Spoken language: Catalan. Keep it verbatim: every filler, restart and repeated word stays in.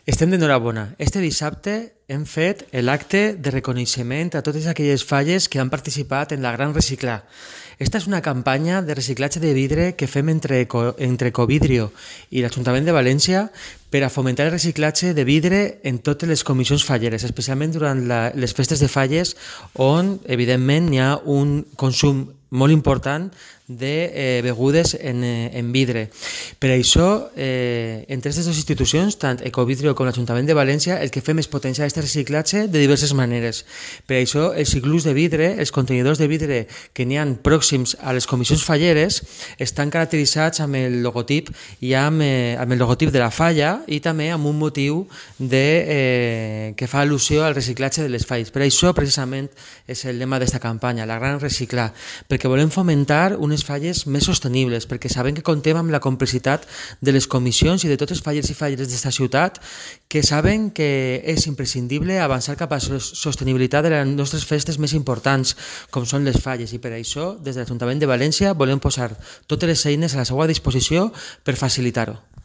Estem d'enhorabona. Este dissabte hem fet l'acte de reconeixement a totes aquelles falles que han participat en la Gran Reciclar. Esta és una campanya de reciclatge de vidre que fem entre, entre Ecovidrio i l'Ajuntament de València per a fomentar el reciclatge de vidre en totes les comissions falleres, especialment durant la, les festes de falles on, evidentment, hi ha un consum molt important de eh, begudes en, eh, en vidre. Per això, eh, entre aquestes dues institucions, tant Ecovidrio com l'Ajuntament de València, el que fem és potenciar aquest reciclatge de diverses maneres. Per això, els iglús de vidre, els contenidors de vidre que n'hi ha pròxims a les comissions falleres, estan caracteritzats amb el logotip i amb, eh, amb el logotip de la falla i també amb un motiu de, eh, que fa al·lusió al reciclatge de les falles. Per això, precisament, és el lema d'esta campanya, la Gran Reciclar, perquè volem fomentar unes falles més sostenibles, perquè sabem que contem amb la complicitat de les comissions i de totes les falles i falleres d'esta ciutat, que saben que és imprescindible avançar cap a la sostenibilitat de les nostres festes més importants, com són les falles, i per això, des de l'Ajuntament de València, volem posar totes les eines a la seva disposició per facilitar-ho.